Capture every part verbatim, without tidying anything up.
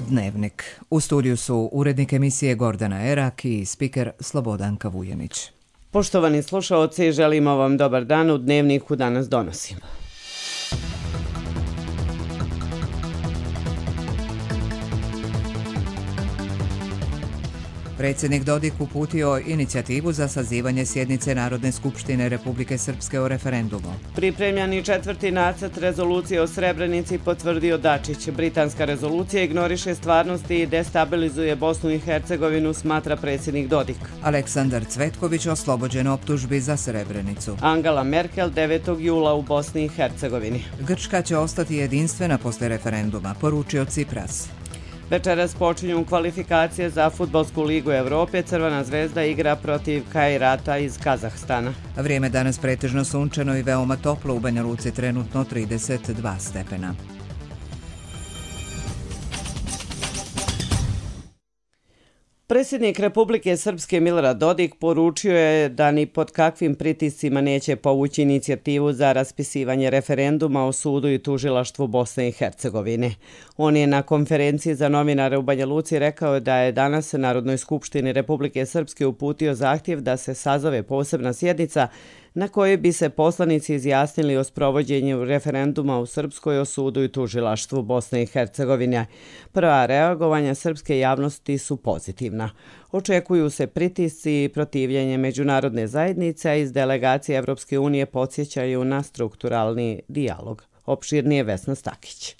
Dnevnik. U studiju su urednik emisije Gordana Erak i spiker Slobodanka Vujenić. Poštovani slušaoci, želimo vam dobar dan. U Dnevniku danas donosimo. Predsjednik Dodik uputio inicijativu za sazivanje sjednice Narodne skupštine Republike Srpske o referendumu. Pripremljeni četvrti nacrt rezolucije o Srebrenici potvrdio Dačić. Britanska rezolucija ignoriše stvarnosti i destabilizuje Bosnu i Hercegovinu, smatra predsjednik Dodik. Aleksandar Cvetković oslobođen optužbi za Srebrenicu. Angela Merkel devetog jula u Bosni i Hercegovini. Grčka će ostati jedinstvena posle referenduma, poručio Cipras. Večeras počinju kvalifikacije za Fudbalsku ligu Evrope. Crvena zvezda igra protiv Kajrata iz Kazahstana. Vrijeme danas pretežno sunčano i veoma toplo, u Banja Luci trenutno trideset dva stepena. Predsjednik Republike Srpske Milorad Dodik poručio je da ni pod kakvim pritiscima neće povući inicijativu za raspisivanje referenduma o sudu i tužilaštvu Bosne i Hercegovine. On je na konferenciji za novinare u Banja Luci rekao da je danas Narodnoj skupštini Republike Srpske uputio zahtjev da se sazove posebna sjednica na kojoj bi se poslanici izjasnili o sprovođenju referenduma u Srpskoj o sudu i tužilaštvu Bosne i Hercegovine. Prva reagovanja srpske javnosti su pozitivna. Očekuju se pritisci i protivljenje međunarodne zajednice, a iz delegacije Evropske unije podsjećaju na strukturalni dijalog. Opširnije Vesna Stakić.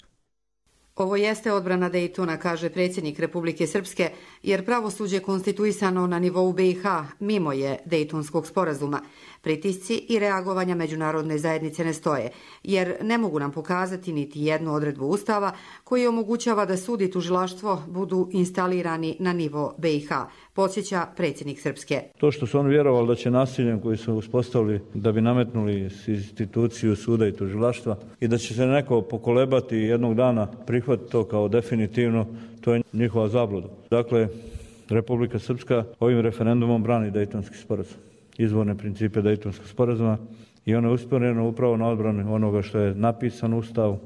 Ovo jeste odbrana Dejtona, kaže predsjednik Republike Srpske, jer pravosuđe konstituisano na nivou B i H mimo je Dejtonskog sporazuma. Pritisci i reagovanja međunarodne zajednice ne stoje, jer ne mogu nam pokazati niti jednu odredbu Ustava koji omogućava da sud i tužilaštvo budu instalirani na nivo B i H, podsjeća predsjednik Srpske. To što su oni vjerovali da će nasiljem koji su uspostavili da bi nametnuli instituciju suda i tužilaštva i da će se neko pokolebati jednog dana prihvatiti to kao definitivno, to je njihova zabluda. Dakle, Republika Srpska ovim referendumom brani Dejtonski sporazum, izvorne principe Dejtonskog sporazuma, i ono je usmjereno upravo na odbranu onoga što je napisano u Ustavu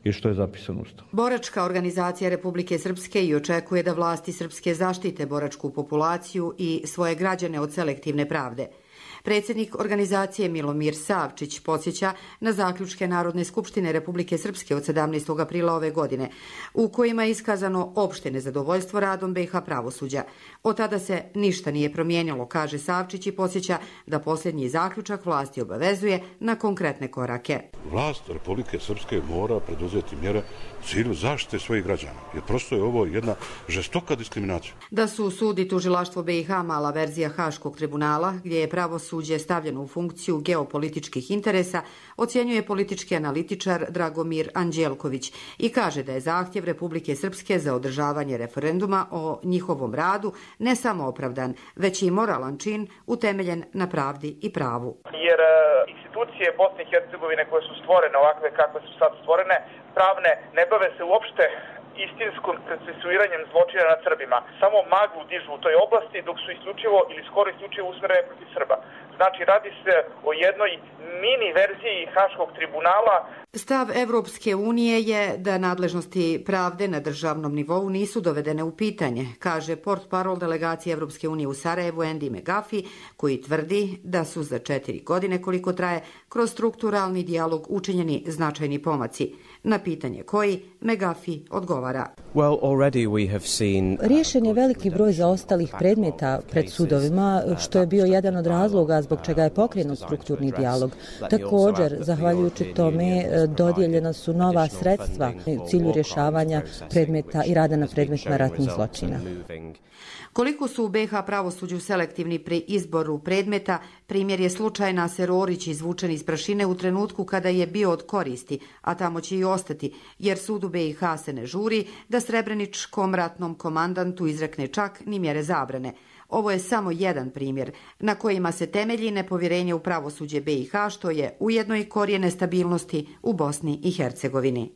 i što je zapisano u Ustavu. Boračka organizacija Republike Srpske i očekuje da vlasti srpske zaštite boračku populaciju i svoje građane od selektivne pravde. Predsjednik organizacije Milomir Savčić podsjeća na zaključke Narodne skupštine Republike Srpske od sedamnaestog aprila ove godine, u kojima je iskazano opšte nezadovoljstvo radom B i H pravosuđa. Od tada se ništa nije promijenilo, kaže Savčić, i podsjeća da posljednji zaključak vlasti obavezuje na konkretne korake. Vlast Republike Srpske mora preduzeti mjere u cilju zaštite svojih građana, jer prosto je ovo jedna žestoka diskriminacija. Da su sud i tužilaštvo B i H mala verzija Haškog tribunala, gdje je pravosuđe suđe stavljeno u funkciju geopolitičkih interesa, ocjenjuje politički analitičar Dragomir Anđelković i kaže da je zahtjev Republike Srpske za održavanje referenduma o njihovom radu ne samo opravdan, već i moralan čin utemeljen na pravdi i pravu. Jer institucije Bosne i Hercegovine koje su stvorene ovakve kakve su sad stvorene, pravne, ne bave se uopšte istinskom procesuiranjem zločina nad Srbima. Samo maglu dižu u toj oblasti, dok su isključivo ili skoro isključivo usmjerene protiv Srba. Znači, radi se o jednoj mini verziji Haškog tribunala. Stav Evropske unije je da nadležnosti pravde na državnom nivou nisu dovedene u pitanje, kaže portparol delegacije Evropske unije u Sarajevu Andy McGuffey, koji tvrdi da su za četiri godine koliko traje kroz strukturalni dijalog učinjeni značajni pomaci. Na pitanje koji, McGuffey odgovara. Well, already we have seen... Riješen je veliki broj zaostalih predmeta pred sudovima, što je bio jedan od razloga zbog čega je pokrenut strukturni dijalog. Također, zahvaljujući tome, dodijeljena su nova sredstva u cilju rješavanja predmeta i rada na predmetima ratnih zločina. Koliko su u B i H pravosuđu selektivni pri izboru predmeta, primjer je slučaj Naser Orić izvučen iz prašine u trenutku kada je bio od koristi, a tamo će i ostati, jer sud u B i H se ne žuri da srebreničkom ratnom komandantu izrekne čak ni mjere zabrane. Ovo je samo jedan primjer na kojima se temelji nepovjerenje u pravosuđe B i H, što je ujedno i korijen nestabilnosti u Bosni i Hercegovini.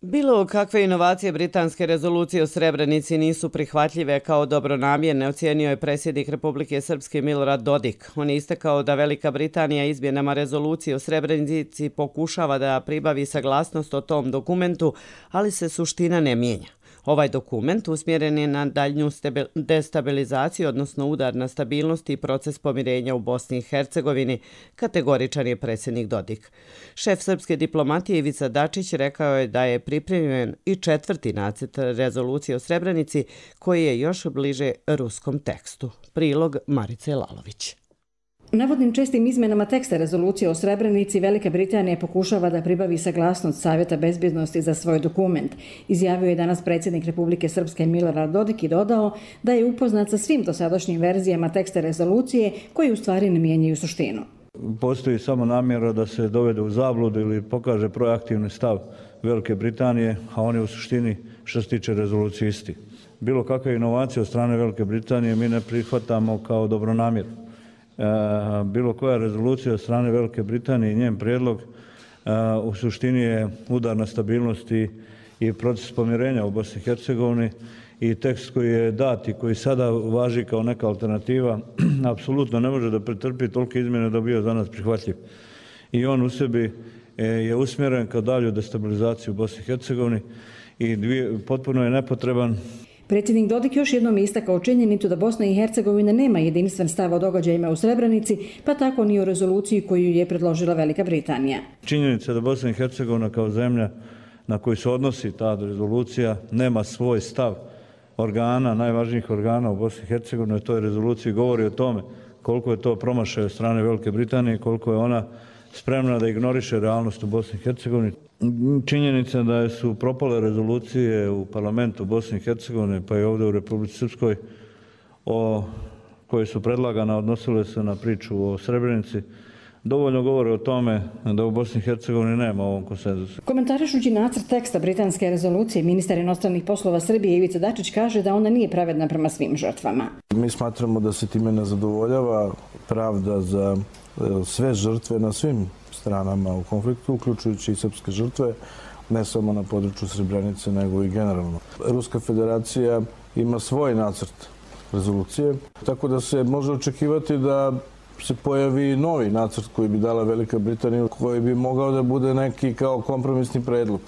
Bilo kakve inovacije britanske rezolucije o Srebrenici nisu prihvatljive kao dobronamjerne, ocijenio je predsjednik Republike Srpske Milorad Dodik. On je istakao da Velika Britanija izmjenama rezolucije o Srebrenici pokušava da pribavi saglasnost o tom dokumentu, ali se suština ne mijenja. Ovaj dokument usmjeren je na daljnju destabilizaciju, odnosno udar na stabilnost i proces pomirenja u Bosni i Hercegovini, kategoričan je predsjednik Dodik. Šef srpske diplomatije Ivica Dačić rekao je da je pripremljen i četvrti nacrt rezolucije o Srebrenici, koji je još bliže ruskom tekstu. Prilog Marice Lalović. Navodnim čestim izmenama teksta rezolucije o Srebrenici Velika Britanija pokušava da pribavi saglasnost Savjeta bezbjednosti za svoj dokument. Izjavio je danas predsjednik Republike Srpske Milorad Dodik i dodao da je upoznat sa svim dosadašnjim verzijama teksta rezolucije koji u stvari ne mijenjaju suštinu. Postoji samo namjera da se dovede u zabludu ili pokaže proaktivni stav Velike Britanije, a on je u suštini što se tiče rezolucije isti. Bilo kakve inovacije od strane Velike Britanije mi ne prihvatamo kao dobronamjer. Bilo koja rezolucija od strane Velike Britanije i njen prijedlog u suštini je udar na stabilnosti i proces pomirenja u Bosni i Hercegovini i tekst koji je dat i koji sada važi kao neka alternativa apsolutno ne može da pretrpi tolike izmjene da bi bio za nas prihvatljiv. I on u sebi je usmjeren ka dalju destabilizaciju u Bosni i Hercegovini i potpuno je nepotreban. Predsjednik Dodik još jednom istakao činjenicu da Bosna i Hercegovina nema jedinstven stav o događajima u Srebrenici, pa tako ni o rezoluciji koju je predložila Velika Britanija. Činjenica da Bosna i Hercegovina kao zemlja na koju se odnosi ta rezolucija nema svoj stav organa, najvažnijih organa u Bosni i Hercegovini, to je rezolucija govori o tome koliko je to promašaj od strane Velike Britanije, koliko je ona spremna da ignoriše realnost u Bosni i Hercegovini. Činjenica da su propale rezolucije u parlamentu Bosne i Hercegovine, pa i ovdje u Republici Srpskoj, o, koje su predlagane, odnosile se na priču o Srebrenici, dovoljno govore o tome da u Bosni i Hercegovini nema ovom konsenzusu. Komentarišući nacrt teksta britanske rezolucije, ministar inostranih poslova Srbije Ivica Dačić kaže da ona nije pravedna prema svim žrtvama. Mi smatramo da se time ne zadovoljava pravda za sve žrtve na svim stranama u konfliktu, uključujući i srpske žrtve, ne samo na području Srebrenice, nego i generalno. Ruska federacija ima svoj nacrt rezolucije, tako da se može očekivati da se pojavi novi nacrt koji bi dala Velika Britanija, koji bi mogao da bude neki kao kompromisni predlog.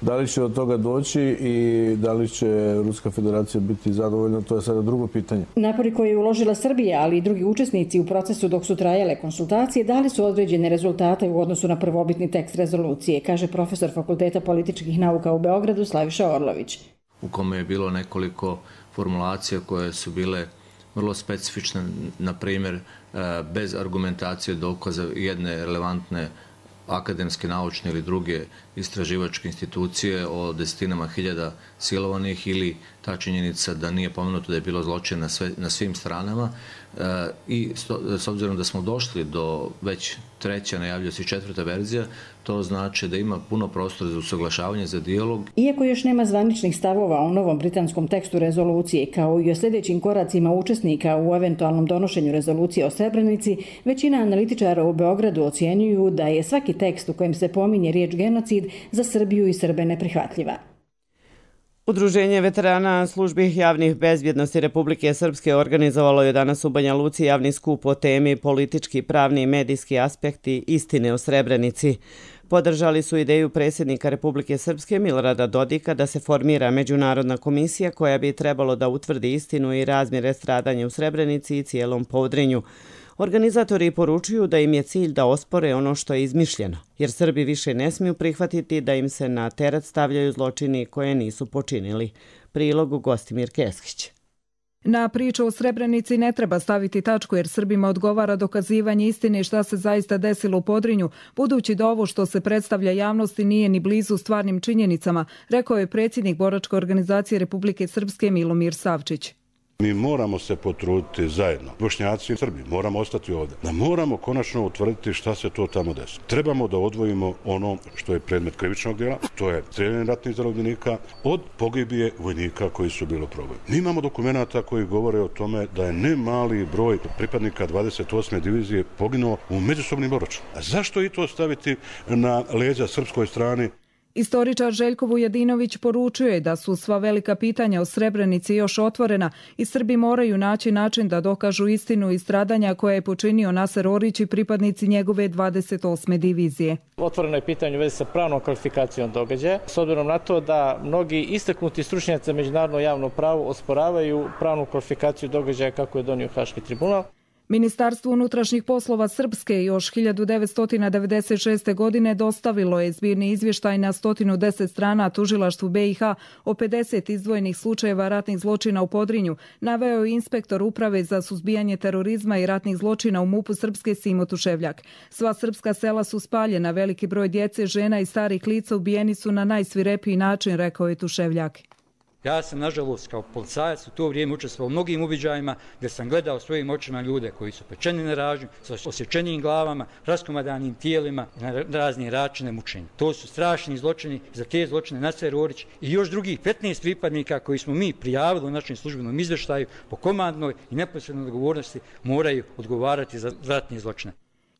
Da li će od toga doći i da li će Ruska federacija biti zadovoljna, to je sada drugo pitanje. Napori koje je uložila Srbija, ali i drugi učesnici u procesu dok su trajale konsultacije, dali su određene rezultate u odnosu na prvobitni tekst rezolucije, kaže profesor Fakulteta političkih nauka u Beogradu Slaviša Orlović. U kome je bilo nekoliko formulacija koje su bile vrlo specifične, na primjer bez argumentacije dokaza jedne relevantne akademske, naučne ili druge istraživačke institucije o desetinama hiljada silovanih ili ta činjenica da nije pomenuto da je bilo zločin na, sve, na svim stranama i s obzirom da smo došli do već treća, najavljuje se četvrta verzija, to znači da ima puno prostora za usaglašavanje, za dijalog. Iako još nema zvaničnih stavova o novom britanskom tekstu rezolucije, kao i o sljedećim koracima učesnika u eventualnom donošenju rezolucije o Srebrenici, većina analitičara u Beogradu ocjenjuju da je svaki tekst u kojem se pominje riječ genocid za Srbiju i Srbe neprihvatljiva. Udruženje veterana službi javnih bezbjednosti Republike Srpske organizovalo je danas u Banja Luci javni skup o temi politički, pravni i medijski aspekti istine o Srebrenici. Podržali su ideju predsjednika Republike Srpske Milorada Dodika da se formira međunarodna komisija koja bi trebalo da utvrdi istinu i razmjere stradanja u Srebrenici i cijelom Podrinju. Organizatori poručuju da im je cilj da ospore ono što je izmišljeno, jer Srbi više ne smiju prihvatiti da im se na teret stavljaju zločini koje nisu počinili. Prilog Gostimir Keskić. Na priču o Srebrenici ne treba staviti tačku jer Srbima odgovara dokazivanje istine šta se zaista desilo u Podrinju, budući da ovo što se predstavlja javnosti nije ni blizu stvarnim činjenicama, rekao je predsjednik boračke organizacije Republike Srpske Milomir Savčić. Mi moramo se potruditi zajedno, Bošnjaci i Srbi, moramo ostati ovdje, da moramo konačno utvrditi šta se to tamo desilo. Trebamo da odvojimo ono što je predmet krivičnog djela, to je strijeljanje ratnih zarobljenika, od pogibije vojnika koji su bili u proboju. Mi imamo dokumenta koji govore o tome da je ne mali broj pripadnika dvadeset osme divizije poginuo u međusobnim obračunima. A zašto i to staviti na leđa srpskoj strani? Istoričar Željko Vujedinović poručio je da su sva velika pitanja o Srebrenici još otvorena i Srbi moraju naći način da dokažu istinu i stradanja koje je počinio Naser Orić i pripadnici njegove dvadeset osme divizije. Otvoreno je pitanje u vezi sa pravnom kvalifikacijom događaja, s obzirom na to da mnogi istaknuti stručnjaci za međunarodno javno pravo osporavaju pravnu kvalifikaciju događaja kako je donio Haški tribunal. Ministarstvo unutrašnjih poslova Srpske još hiljadu devetsto devedeset šeste. godine dostavilo je zbirni izvještaj na sto deset strana tužilaštvu B i H o pedeset izdvojenih slučajeva ratnih zločina u Podrinju, naveo je inspektor Uprave za suzbijanje terorizma i ratnih zločina u MUP-u Srpske Simo Tuševljak. Sva srpska sela su spaljena, veliki broj djece, žena i starih lica ubijeni su na najsvirepiji način, rekao je Tuševljak. Ja sam, nažalost, kao policajac u to vrijeme učestvovao u mnogim uviđajima gdje sam gledao svojim očima ljude koji su pečeni na ražnju, sa osjećenim glavama, raskomadanim tijelima i na razne načine mučenja. To su strašni zločini, za te zločine Naser Orić i još drugih petnaest pripadnika koji smo mi prijavili u našem službenom izvještaju po komandnoj i neposrednoj odgovornosti moraju odgovarati za ratne zločine.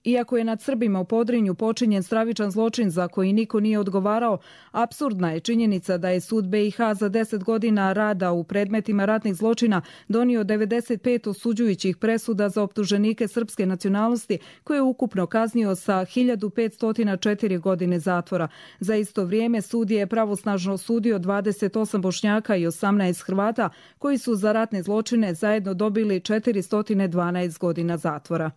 Iako je nad Srbima u Podrinju počinjen stravičan zločin za koji niko nije odgovarao, apsurdna je činjenica da je sud B i H za deset godina rada u predmetima ratnih zločina donio devedeset pet osuđujućih presuda za optuženike srpske nacionalnosti, koje je ukupno kaznio sa hiljadu petsto četiri godine zatvora. Za isto vrijeme sud je pravosnažno osudio dvadeset osam Bošnjaka i osamnaest Hrvata, koji su za ratne zločine zajedno dobili četiristo dvanaest godina zatvora.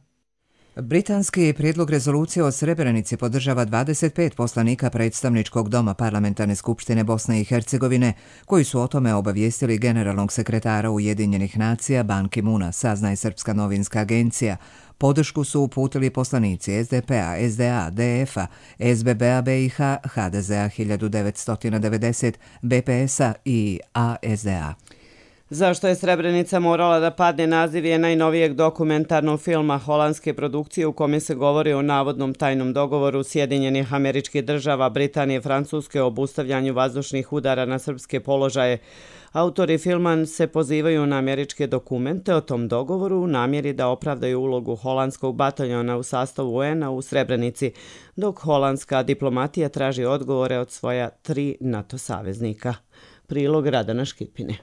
Britanski prijedlog rezolucije o Srebrenici podržava dvadeset pet poslanika predstavničkog doma Parlamentarne skupštine Bosne i Hercegovine, koji su o tome obavijestili generalnog sekretara Ujedinjenih nacija Ban Ki-muna, saznaje Srpska novinska agencija. Podršku su uputili poslanici S D P-a, S D A, D F-a, S B B-a B i H, H D Z-a hiljadu devetsto devedeset, B P S-a i A S D A. Zašto je Srebrenica morala da padne naziv je najnovijeg dokumentarnog filma holandske produkcije u kome se govori o navodnom tajnom dogovoru Sjedinjenih Američkih Država, Britanije i Francuske o obustavljanju vazdušnih udara na srpske položaje. Autori filma se pozivaju na američke dokumente o tom dogovoru u namjeri da opravdaju ulogu holandskog bataljona u sastavu U N-a u Srebrenici, dok holandska diplomatija traži odgovore od svoja tri NATO saveznika. Prilog Radana Škipine.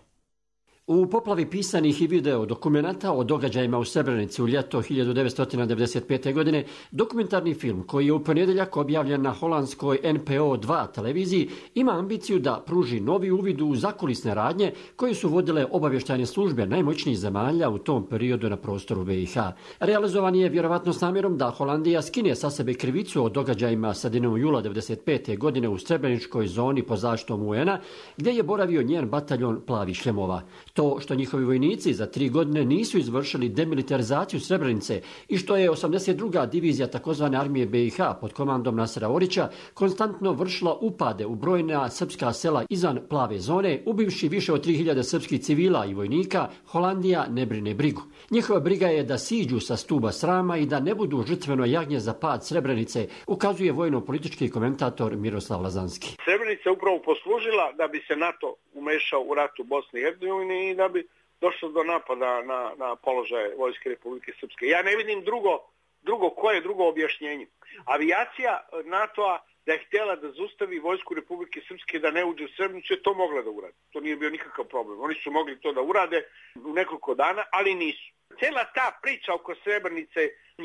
U poplavi pisanih i video dokumenata o događajima u Srebrenici u ljeto hiljadu devetsto devedeset pete. godine, dokumentarni film koji je u ponedjeljak objavljen na holandskoj N P O dva televiziji ima ambiciju da pruži novi uvid u zakulisne radnje koje su vodile obavještajne službe najmoćnijih zemalja u tom periodu na prostoru B i H. Realizovan je vjerovatno s namjerom da Holandija skine sa sebe krivicu o događajima sredinom jula devedeset pete. godine u Srebreničkoj zoni pod zaštitom U N-a, gdje je boravio njen bataljon plavih šljemova. To što njihovi vojnici za tri godine nisu izvršili demilitarizaciju Srebrenice i što je osamdeset druga divizija takozvane armije B i H pod komandom Nasera Orića konstantno vršila upade u brojna srpska sela izvan plave zone, ubivši više od tri hiljade srpskih civila i vojnika, Holandija ne brine brigu. Njihova briga je da siđu sa stuba srama i da ne budu žrtveno jagnje za pad Srebrenice, ukazuje vojno-politički komentator Miroslav Lazanski. Srebrenica upravo poslužila da bi se NATO umešao u rat u Bosni i Hercegovini i da bi došlo do napada na, na položaje Vojske Republike Srpske. Ja ne vidim drugo, drugo koje je drugo objašnjenje. Avijacija NATO-a da je htjela da zaustavi Vojsku Republike Srpske da ne uđe u Srebrenicu, je to mogla da uradi. To nije bio nikakav problem. Oni su mogli to da urade u nekoliko dana, ali nisu. Cijela ta priča oko Srebrenice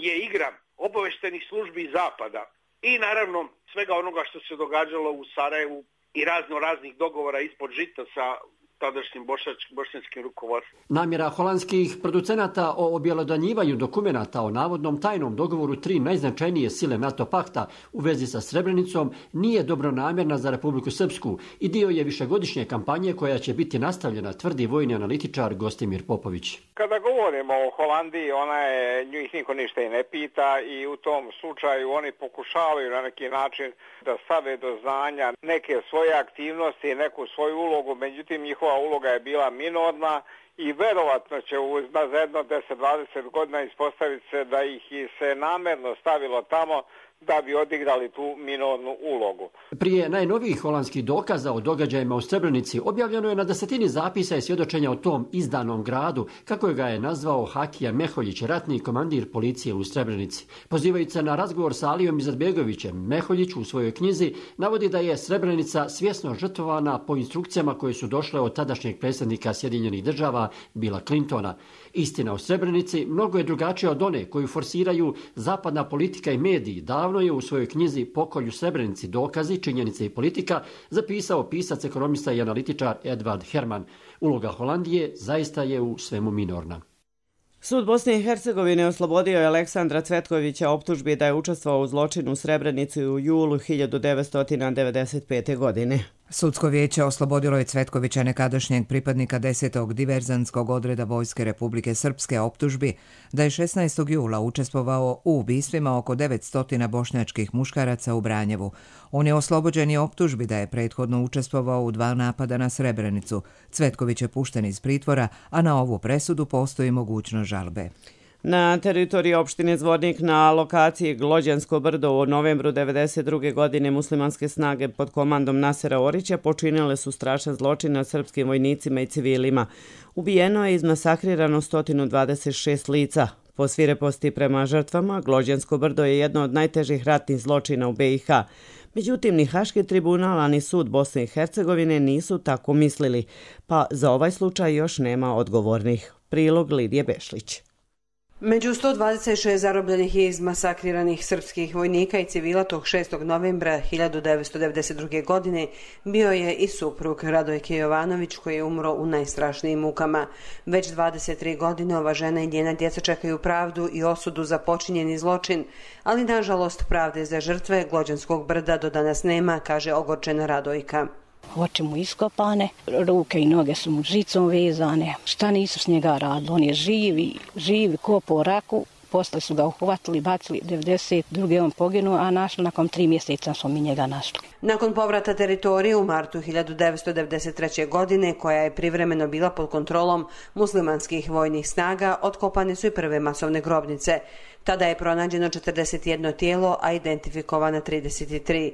je igra obavještajnih službi Zapada i naravno svega onoga što se događalo u Sarajevu i razno raznih dogovora ispod žita sa tadašnjim bošnjačkim rukovodstvom. Namjera holandskih producenata o objelodanjivanju dokumenata o navodnom tajnom dogovoru tri najznačajnije sile NATO pakta u vezi sa Srebrenicom nije dobronamjerna za Republiku Srpsku i dio je višegodišnje kampanje koja će biti nastavljena, tvrdi vojni analitičar Gostimir Popović. Kada govorimo o Holandiji, ona je, njih niko ništa i ne pita i u tom slučaju oni pokušavaju na neki način da stave do znanja neke svoje aktivnosti, neku svoju ulogu, međutim njihova uloga je bila minorna i verovatno će za jedno deset do dvadeset godina ispostaviti se da ih se namerno stavilo tamo da bi odigrali tu minornu ulogu. Prije najnovijih holandskih dokaza o događajima u Srebrenici objavljeno je na desetini zapisa i svjedočenja o tom izdanom gradu, kako ga je nazvao Hakija Meholjić, ratni komandir policije u Srebrenici. Pozivajući se na razgovor sa Alijom Izetbegovićem, Meholjić u svojoj knjizi navodi da je Srebrenica svjesno žrtvovana po instrukcijama koje su došle od tadašnjeg predsjednika Sjedinjenih država Billa Clintona. Istina o Srebrenici mnogo je drugačija od one koju forsiraju zapadna politika i mediji. Davno je u svojoj knjizi Pokolj u Srebrenici, dokazi, činjenice i politika zapisao pisac, ekonomista i analitičar Edvard Herman. Uloga Holandije zaista je u svemu minorna. Sud Bosne i Hercegovine oslobodio je Aleksandra Cvetkovića optužbi da je učestvovao u zločinu u Srebrenici u julu hiljadu devetsto devedeset pete. godine. Sudsko vijeće oslobodilo je Cvetkovića, nekadašnjeg pripadnika desetog diverzantskog odreda Vojske Republike Srpske, optužbi da je šesnaestog jula učestvovao u ubistvima oko devetsto bošnjačkih muškaraca u Branjevu. On je oslobođen i optužbi da je prethodno učestvovao u dva napada na Srebrenicu. Cvetković je pušten iz pritvora, a na ovu presudu postoji mogućnost žalbe. Na teritoriji opštine Zvornik na lokaciji Glođansko brdo u novembru devedeset druge. godine muslimanske snage pod komandom Nasera Orića počinile su strašan zločin nad srpskim vojnicima i civilima. Ubijeno je i izmasakrirano sto dvadeset šest lica. Po svireposti prema žrtvama, Glođansko brdo je jedno od najtežih ratnih zločina u be i ha. Međutim, ni Haški tribunal, ani sud Bosne i Hercegovine nisu tako mislili, pa za ovaj slučaj još nema odgovornih. Prilog Lidije Bešlić. Među sto dvadeset šest zarobljenih i izmasakriranih srpskih vojnika i civila tog šestog novembra hiljadu devetsto devedeset druge. godine bio je i suprug Radojke Jovanović, koji je umro u najstrašnijim mukama. Već dvadeset tri godine ova žena i njena djeca čekaju pravdu i osudu za počinjeni zločin, ali nažalost pravde za žrtve Glođanskog brda do danas nema, kaže ogorčena Radojka. Oči mu iskopane, ruke i noge su mu žicom vezane. Šta nisu s njega radili? On je živi, živi ko po raku. Posle su ga uhvatili, bacili devedeset druge. on poginuo, a našli nakon tri mjeseca smo mi njega našli. Nakon povrata teritorije u martu hiljadu devetsto devedeset treće. godine, koja je privremeno bila pod kontrolom muslimanskih vojnih snaga, otkopane su i prve masovne grobnice. Tada je pronađeno četrdeset jedno tijelo, a identifikovana trideset tri.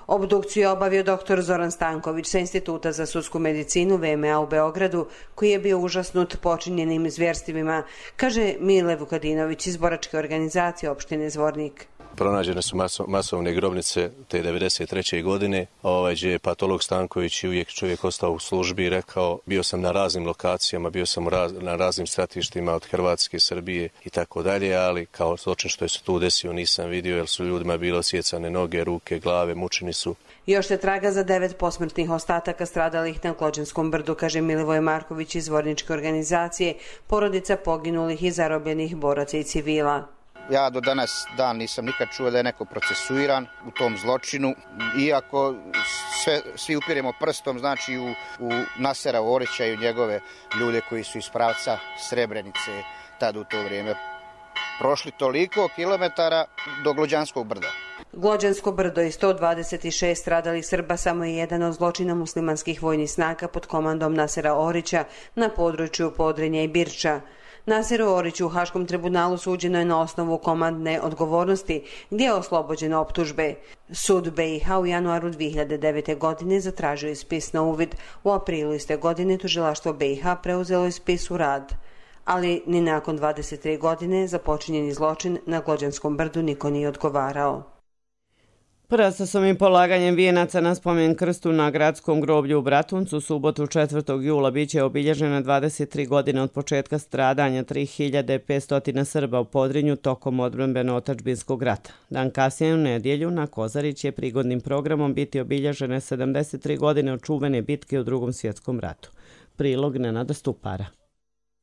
Obdukciju je obavio doktor Zoran Stanković sa Instituta za sudsku medicinu ve em a u Beogradu, koji je bio užasnut počinjenim zvjerstvima, kaže Mile Vukadinović iz boračke organizacije opštine Zvornik. Pronađene su maso, masovne grobnice te devedeset treće. godine, ovaj, gdje je patolog Stanković i uvijek čovjek ostao u službi i rekao, bio sam na raznim lokacijama, bio sam raz, na raznim stratištima od Hrvatske, Srbije i tako dalje, ali kao zločin što je se tu desio nisam vidio, jer su ljudima bilo osjecane noge, ruke, glave, mučeni su. Još se traga za devet posmrtnih ostataka stradalih na Glođanskom brdu, kaže Milivoje Marković iz Zvorničke organizacije, porodica poginulih i zarobljenih boraca i civila. Ja do danas dan nisam nikad čuo da je neko procesuiran u tom zločinu, iako sve, svi upiremo prstom znači u, u Nasera Orića i u njegove ljude koji su iz pravca Srebrenice tad u to vrijeme prošli toliko kilometara do Glođanskog brda. Glođansko brdo i sto dvadeset šest stradalih Srba samo je jedan od zločina muslimanskih vojnih snaga pod komandom Nasera Orića na području Podrinja i Birča. Naseru Oriću u Haškom tribunalu suđeno je na osnovu komandne odgovornosti, gdje je oslobođen optužbe. Sud be i ha u januaru dvije hiljade devete. godine zatražio je spis na uvid. U aprilu iste godine tužilaštvo be i ha preuzelo je spis u rad. Ali ni nakon dvadeset tri godine za počinjeni zločin na Glođanskom brdu niko nije odgovarao. Procesom i polaganjem vijenaca na spomen krstu na gradskom groblju u Bratuncu u subotu četvrtog jula biće obilježena dvadeset tri godine od početka stradanja tri hiljade petsto Srba u Podrinju tokom odbrambeno-otadžbinskog rata. Dan kasnije u nedjelju na Kozarić će prigodnim programom biti obilježene sedamdeset tri godine od čuvene bitke u Drugom svjetskom ratu. Prilog Nenada Stupara.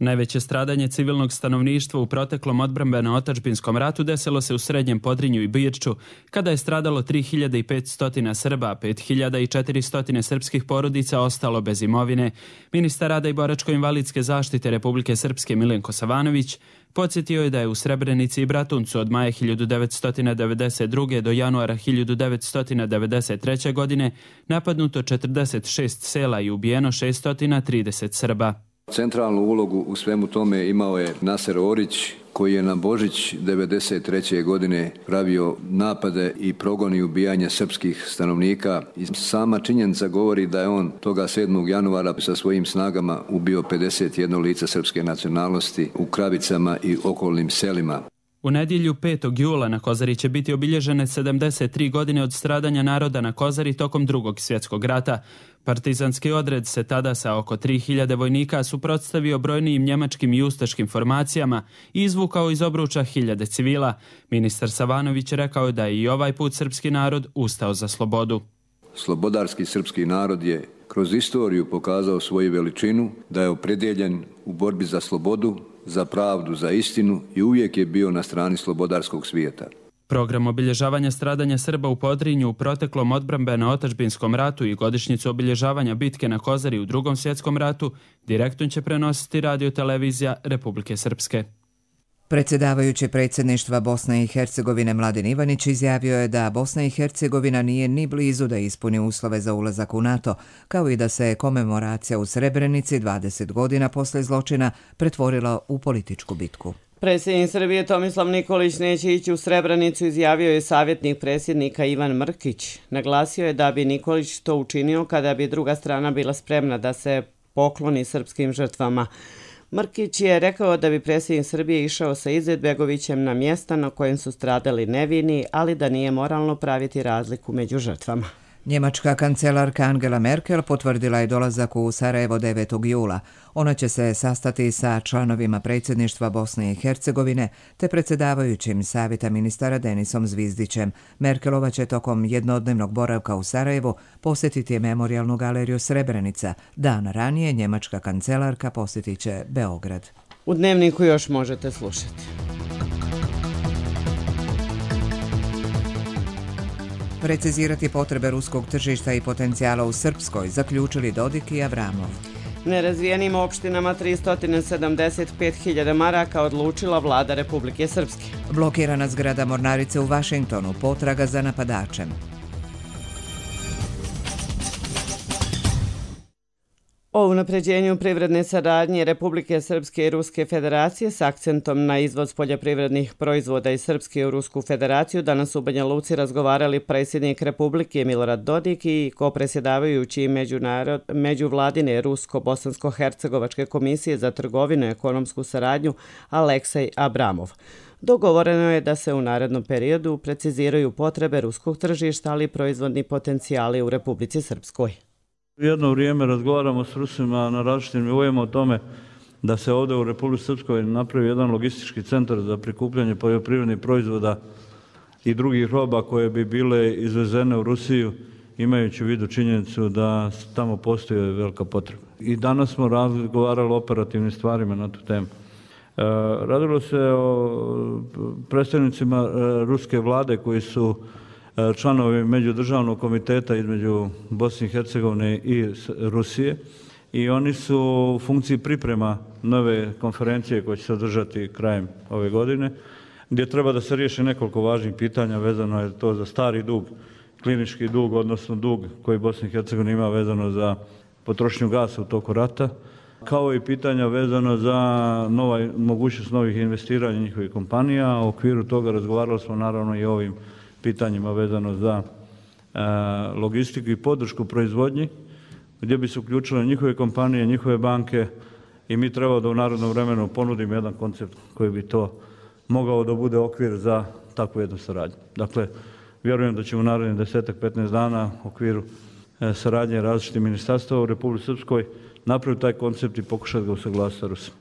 Najveće stradanje civilnog stanovništva u proteklom odbrambeno-otadžbinskom ratu desilo se u Srednjem Podrinju i Birču, kada je stradalo tri hiljade petsto Srba, pet hiljada četiristo srpskih porodica ostalo bez imovine. Ministar rada i boračko-invalidske zaštite Republike Srpske Milenko Savanović podsjetio je da je u Srebrenici i Bratuncu od maja hiljadu devetsto devedeset druge. do januara hiljadu devetsto devedeset treće. godine napadnuto četrdeset šest sela i ubijeno šesto trideset Srba. Centralnu ulogu u svemu tome imao je Naser Orić, koji je na Božić devedeset treće godine pravio napade i progon i ubijanje srpskih stanovnika. I sama činjenica govori da je on toga sedmog januara sa svojim snagama ubio pedeset jedno lice srpske nacionalnosti u Kravicama i okolnim selima. U nedjelju petog jula na Kozari će biti obilježene sedamdeset tri godine od stradanja naroda na Kozari tokom Drugog svjetskog rata. Partizanski odred se tada sa oko tri hiljade vojnika suprotstavio brojnijim njemačkim i ustaškim formacijama i izvukao iz obruča hiljade civila. Ministar Savanović rekao je da je i ovaj put srpski narod ustao za slobodu. Slobodarski srpski narod je kroz istoriju pokazao svoju veličinu, da je opredjeljen u borbi za slobodu, za pravdu, za istinu i uvijek je bio na strani slobodarskog svijeta. Program obilježavanja stradanja Srba u Podrinju u proteklom odbrambeno-otadžbinskom ratu i godišnjicu obilježavanja bitke na Kozari u Drugom svjetskom ratu direktno će prenositi radiotelevizija Republike Srpske. Predsjedavajući predsjedništva Bosne i Hercegovine Mladen Ivanić izjavio je da Bosna i Hercegovina nije ni blizu da ispuni uslove za ulazak u NATO, kao i da se komemoracija u Srebrenici dvadeset godina posle zločina pretvorila u političku bitku. Predsjednik Srbije Tomislav Nikolić neće ići u Srebrenicu, izjavio je savjetnik predsjednika Ivan Mrkić. Naglasio je da bi Nikolić to učinio kada bi druga strana bila spremna da se pokloni srpskim žrtvama. Mrkić je rekao da bi predsjednik Srbije išao sa Izetbegovićem na mjesta na kojem su stradali nevini, ali da nije moralno praviti razliku među žrtvama. Njemačka kancelarka Angela Merkel potvrdila je dolazak u Sarajevo devetog jula. Ona će se sastati sa članovima predsjedništva Bosne i Hercegovine te predsjedavajućim savjeta ministara Denisom Zvizdićem. Merkelova će tokom jednodnevnog boravka u Sarajevu posjetiti memorijalnu galeriju Srebrenica. Dan ranije njemačka kancelarka posjetit će Beograd. U Dnevniku još možete slušati. Precizirati potrebe ruskog tržišta i potencijala u Srpskoj, zaključili Dodik i Avramov. Nerazvijenim opštinama tristo sedamdeset pet hiljada maraka odlučila vlada Republike Srpske. Blokirana zgrada mornarice u Vašingtonu, potraga za napadačem. O unapređenju privredne saradnje Republike Srpske i Ruske federacije s akcentom na izvoz poljoprivrednih proizvoda iz Srpske u Rusku federaciju danas u Banja Luci razgovarali predsjednik Republike Milorad Dodik i kopredsjedavajući međuvladine Rusko-Bosansko-Hercegovačke komisije za trgovinu i ekonomsku saradnju Aleksej Abramov. Dogovoreno je da se u narednom periodu preciziraju potrebe ruskog tržišta, ali i proizvodni potencijali u Republici Srpskoj. Jedno vrijeme razgovaramo s Rusima na različitim nivoima o tome da se ovdje u Republici Srpskoj napravi jedan logistički centar za prikupljanje poljoprivrednih proizvoda i drugih roba koje bi bile izvezene u Rusiju, imajući u vidu činjenicu da tamo postoji velika potreba. I danas smo razgovarali o operativnim stvarima na tu temu. Radilo se o predstavnicima ruske vlade koji su članovi međudržavnog komiteta između Bosne i Hercegovine i Rusije i oni su u funkciji priprema nove konferencije koja će se održati krajem ove godine, gdje treba da se riješi nekoliko važnih pitanja, vezano je to za stari dug, klinički dug, odnosno dug koji Bosna i Hercegovina ima vezano za potrošnju gasa u toku rata, kao i pitanja vezano za nova, mogućnost novih investiranja njihovih kompanija. U okviru toga razgovarali smo naravno i o ovim pitanjima vezano za e, logistiku i podršku proizvodnji, gdje bi se uključile njihove kompanije, njihove banke i mi treba da u narodnom vremenu ponudimo jedan koncept koji bi to mogao da bude okvir za takvu jednu saradnju. Dakle, vjerujem da ćemo u narednih desetak do petnaest dana u okviru e, saradnje različitih ministarstva u Republici Srpskoj napraviti taj koncept i pokušati ga usaglasiti sa Rusima.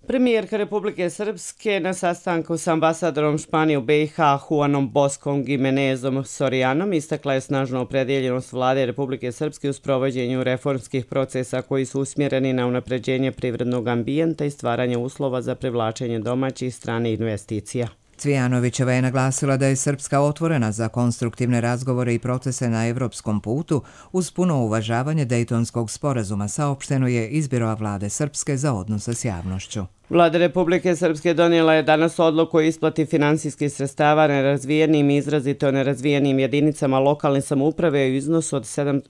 Premijerka Republike Srpske na sastanku s ambasadorom Španije u B i H Juanom Boskom Gimenezom Sorijanom istakla je snažnu opredjeljenost vlade Republike Srpske u sprovođenju reformskih procesa koji su usmjereni na unapređenje privrednog ambijenta i stvaranje uslova za privlačenje domaćih i stranih investicija. Cvijanovićeva je naglasila da je Srpska otvorena za konstruktivne razgovore i procese na evropskom putu uz puno uvažavanje Dejtonskog sporazuma, saopšteno je iz Biroa vlade Srpske za odnose s javnošću. Vlada Republike Srpske donijela je danas odluku o isplati finansijskih sredstava nerazvijenim i izrazito nerazvijenim jedinicama lokalne samouprave u iznosu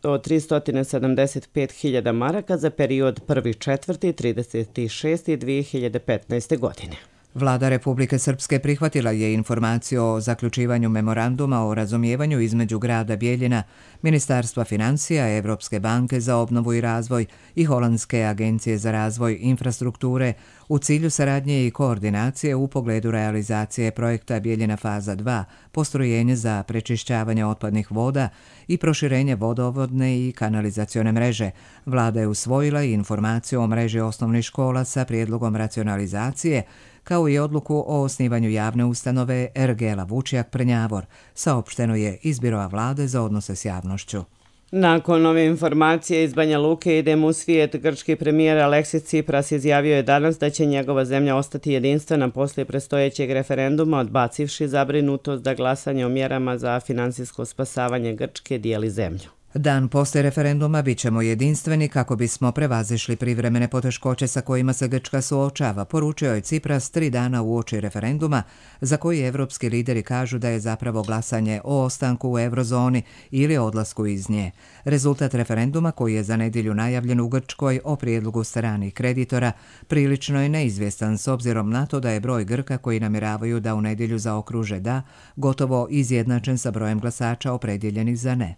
od tristo sedamdeset pet hiljada maraka za period prvi četvrti trideseti šesti dve hiljade petnaeste. godine. Vlada Republike Srpske prihvatila je informaciju o zaključivanju memoranduma o razumijevanju između grada Bijeljina, Ministarstva financija, Evropske banke za obnovu i razvoj i Holandske agencije za razvoj infrastrukture u cilju saradnje i koordinacije u pogledu realizacije projekta Bijeljina faza dva, postrojenje za prečišćavanje otpadnih voda i proširenje vodovodne i kanalizacione mreže. Vlada je usvojila i informaciju o mreži osnovnih škola sa prijedlogom racionalizacije, kao i odluku o osnivanju javne ustanove Ergela Vučjak Prnjavor, saopšteno je iz Biroa vlade za odnose s javnošću. Nakon ove informacije iz Banja Luke idemo u svijet. Grčki premijer Aleksis Tsipras izjavio je danas da će njegova zemlja ostati jedinstvena poslije predstojećeg referenduma, odbacivši zabrinutost da glasanje o mjerama za finansijsko spasavanje Grčke dijeli zemlju. Dan poslije referenduma bit ćemo jedinstveni kako bismo prevazišli privremene poteškoće sa kojima se Grčka suočava, poručio je Tsipras tri dana uoči referenduma, za koji evropski lideri kažu da je zapravo glasanje o ostanku u eurozoni ili odlasku iz nje. Rezultat referenduma, koji je za nedjelju najavljen u Grčkoj o prijedlogu stranih kreditora, prilično je neizvjestan s obzirom na to da je broj Grka koji namjeravaju da u nedjelju zaokruže da gotovo izjednačen sa brojem glasača opredjeljenih za ne.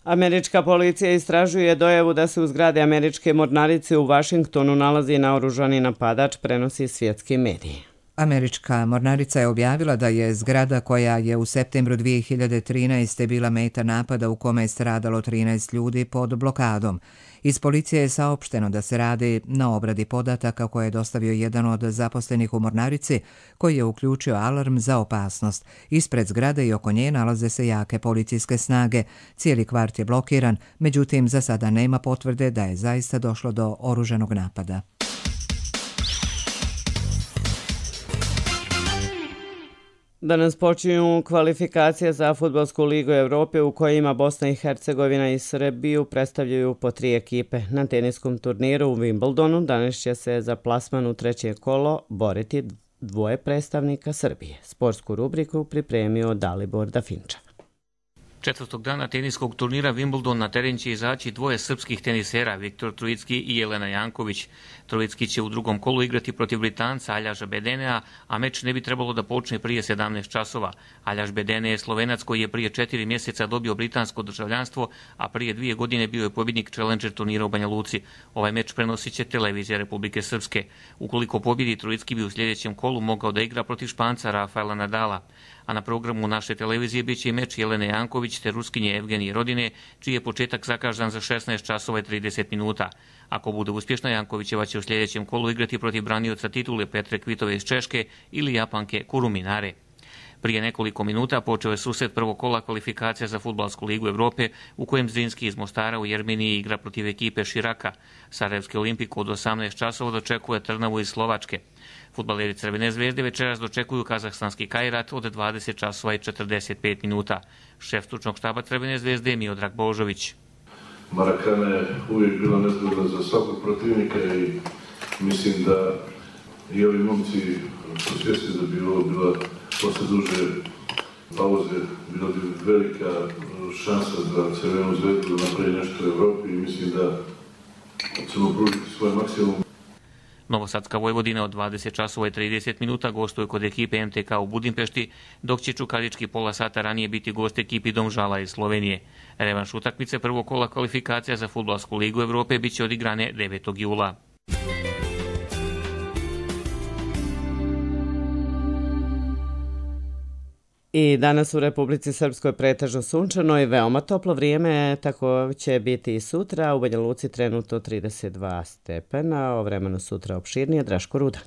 Američka policija istražuje dojavu da se u zgradi američke mornarice u Vašingtonu nalazi naoružani napadač, prenosi svjetski mediji. Američka mornarica je objavila da je zgrada koja je u septembru dvije hiljade trinaeste. bila meta napada u kome je stradalo trinaest ljudi pod blokadom. Iz policije je saopšteno da se radi na obradi podataka koje je dostavio jedan od zaposlenih u mornarici, koji je uključio alarm za opasnost. Ispred zgrade i oko nje nalaze se jake policijske snage. Cijeli kvart je blokiran, međutim za sada nema potvrde da je zaista došlo do oružanog napada. Danas počinju kvalifikacije za Fudbalsku ligu Evrope u kojima Bosna i Hercegovina i Srbiju predstavljaju po tri ekipe. Na teniskom turniru u Wimbledonu danas će se za plasman u treće kolo boriti dvoje predstavnika Srbije. Sportsku rubriku pripremio Dalibor Dafinča. Četvrtog dana teniskog turnira Wimbledon na teren će izaći dvoje srpskih tenisera, Viktor Trojicki i Jelena Janković. Trojicki će u drugom kolu igrati protiv Britanca Aljaža Bedenea, a meč ne bi trebalo da počne prije sedamnaest časova. Aljaž Bedene je Slovenac koji je prije četiri mjeseca dobio britansko državljanstvo, a prije dvije godine bio je pobjednik Challenger turnira u Banja Luci. Ovaj meč prenosit će televizija Republike Srpske. Ukoliko pobjedi, Trojicki bi u sljedećem kolu mogao da igra protiv Španca Rafaela Nadala. A na programu naše televizije bit će i meč Jelene Janković te Ruskinje Evgenije Rodine, čiji je početak zakazan za šesnaest časova i trideset minuta. Ako bude uspješna, Jankovićeva će u sljedećem kolu igrati protiv branioca titule Petre Kvitove iz Češke ili Japanke Kuruminare. Prije nekoliko minuta počeo je susret prvog kola kvalifikacija za Fudbalsku ligu Evrope, u kojem Zrinski iz Mostara u Jermeniji igra protiv ekipe Širaka. Sarajevski Olimpik od osamnaest časova dočekuje Trnavu iz Slovačke. Fudbaleri Crvene zvezde večeras dočekuju kazahstanski Kairat od dvadeset časova i četrdeset pet minuta. Šef stručnog štaba Crvene zvezde je Miodrag Božović. Marakana je uvijek bila nezgodna za svakog protivnika i mislim da i ovi momci su svjesni da bi ovo bila posle duže pauze bila bi velika šansa za Crvenu zvezdu da napravi nešto u Evropi i mislim da ćemo pružiti svoj maksimum. Novosadska Vojvodina od dvadeset časova i trideset minuta gostuje kod ekipe M T K u Budimpešti, dok će Čukarički pola sata ranije biti gost ekipi Domžala iz Slovenije. Revanš utakmice prvog kola kvalifikacija za Fudbalsku ligu Evrope biće odigrane devetog jula. I danas u Republici Srpskoj pretežno sunčano i veoma toplo vrijeme, tako će biti i sutra. U Banja Luci trenutno trideset dva stepena, o vremenu sutra opširnije. Draško Rudan.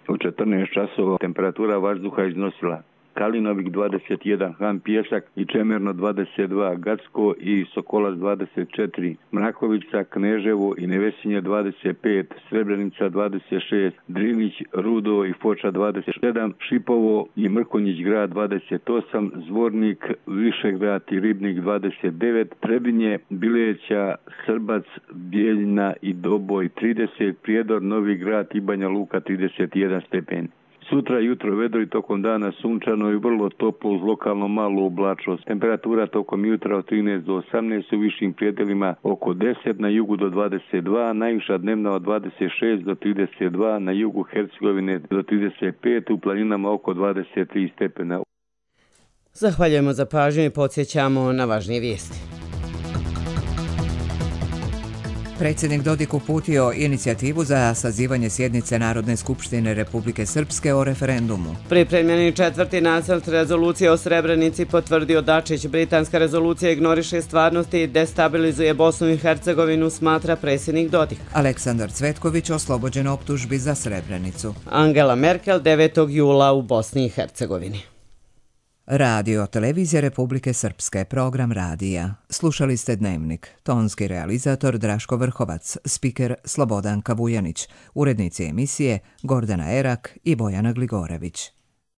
U četrnaest časova temperatura vazduha iznosila Kalinovik dvadeset jedan, Han Pješak i Čemerno dvadeset dva, Gacko i Sokolac dvadeset četiri, Mrakovica, Kneževo i Nevesinje dvadeset pet, Srebrenica dvadeset šest, Drinić, Rudo i Foča dvadeset sedam, Šipovo i Mrkonjić grad dvadeset osam, Zvornik, Višegrad i Ribnik dvadeset devet, Trebinje, Bileća, Srbac, Bijeljina i Doboj trideset, Prijedor, Novi grad i Banja Luka trideset jedan stepen. Sutra jutro vedro i tokom dana sunčano i vrlo toplo uz lokalno malu oblačnost. Temperatura tokom jutra od trinaest do osamnaest, u višim prijedelima oko deset, na jugu do dvadeset dva, najviša dnevna od dvadeset šest do trideset dva, na jugu Hercegovine do trideset pet, u planinama oko dvadeset tri stepena. Zahvaljujemo za pažnju i podsjećamo na važnije vijesti. Predsjednik Dodik uputio inicijativu za sazivanje sjednice Narodne skupštine Republike Srpske o referendumu. Pripremljeni četvrti nacrt rezolucije o Srebrenici potvrdio Dačić. Britanska rezolucija ignoriše stvarnosti i destabilizuje Bosnu i Hercegovinu, smatra predsjednik Dodik. Aleksandar Cvetković oslobođen optužbi za Srebrenicu. Angela Merkel devetog jula u Bosni i Hercegovini. Radio Televizija Republike Srpske, program radija. Slušali ste Dnevnik. Tonski realizator Draško Vrhovac, spiker Slobodan Kavujanić, urednici emisije Gordana Erak i Bojana Gligorević.